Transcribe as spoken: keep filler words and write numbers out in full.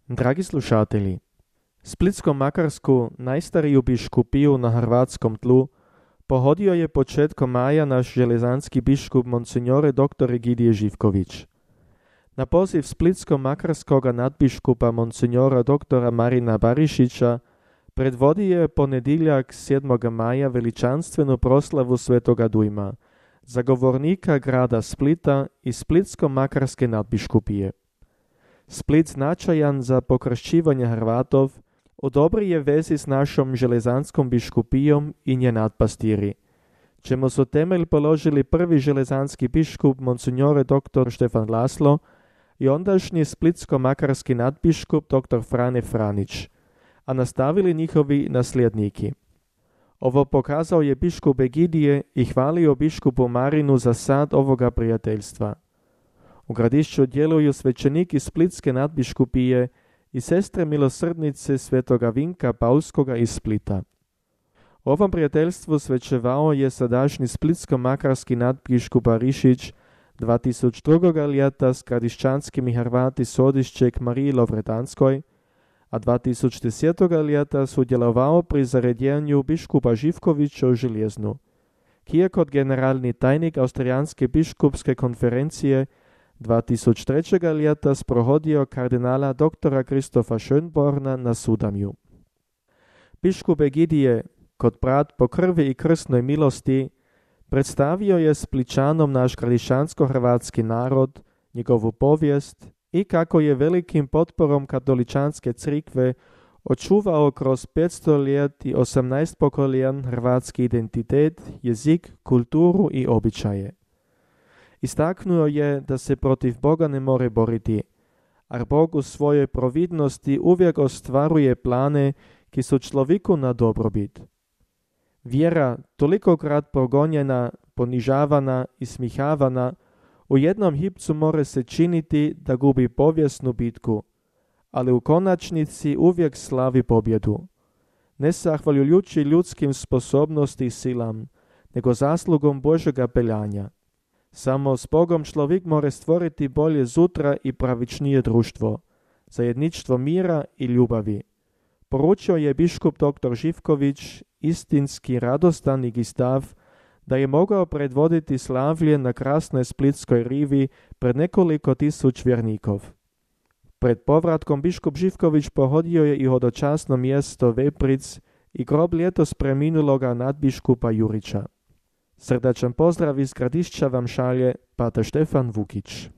Dragi slušatelji, Splitsko-Makarsku najstariju biškupiju na hrvatskom tlu pohodio je početkom maja naš železanski biškup Monsignore doktor Egidije Živković. Na poziv Splitsko-Makarskoga nadbiškupa Monsignora doktora Marina Barišića predvodi je ponedjeljak sedmog maja veličanstvenu proslavu Svetoga Dujma, zagovornika grada Splita i Splitsko-Makarske nadbiškupije. Split značajan za pokršćivanje Hrvatov u dobri je vezi s našom železanskom biškupijom i nje nadpastiri, čemu su temelj položili prvi železanski biškup Monsignore doktor Štefan Laslo i ondašnji splitsko-makarski nadbiškup doktor Frane Franić, a nastavili njihovi nasljedniki. Ovo pokazao je biškup Egidije i hvalio biškupu Marinu za sad ovoga prijateljstva. U gradišću djeluju svećeniki Splitske nadbiškupije i sestre milosrdnice svetoga Vinka Paulskoga iz Splita. U ovom prijateljstvu svećevao je sadašnji splitsko-makarski nadbiškup Barišić dva tisuće drugog ljeta s gradišćanskimi Hrvati s odišće k Mariji Lovredanskoj, a dva tisuće desetog ljeta sudjelovao pri zaredjenju biškupa Živkovića u Željeznu, ki je kot generalni tajnik Austrijanske biškupske konferencije dva tisuće trećeg ljeta sprohodio kardinala doktora Kristofa Schönborna na Sudamju. Biškup Egidije, kot brat po krvi i krsnoj milosti, predstavio je Spličanom naš gradišćansko-hrvatski narod, njegovu povijest i kako je velikim potporom katoličanske crikve očuvao kroz petsto ljet i osamnaest pokoljen hrvatski identitet, jezik, kulturu i običaje. Istaknuo je da se protiv Boga ne more boriti, a Bog u svojoj providnosti uvijek ostvaruje plane ki su človeku na dobrobit. Vjera, tolikokrat progonjena, ponižavana i smihavana, u jednom hipcu more se činiti da gubi povijesnu bitku, ali u konačnici uvijek slavi pobjedu. Ne zahvaljujući ljudskim sposobnosti i silam, nego zaslugom Božega peljanja. Samo s Bogom človek more stvoriti bolje zutra i pravičnije društvo, zajedništvo mira i ljubavi. Poručio je biškup doktor Živković istinski radostan i stav da je mogao predvoditi slavlje na krasnoj splitskoj rivi pred nekoliko tisuć vjernikov. Pred povratkom biškup Živković pohodio je i hodočasno mjesto Vepric i grob ljetos preminuloga nadbiškupa Jurića. Srdačan pozdrav iz Gradišća vam šalje pater Štefan Vukić.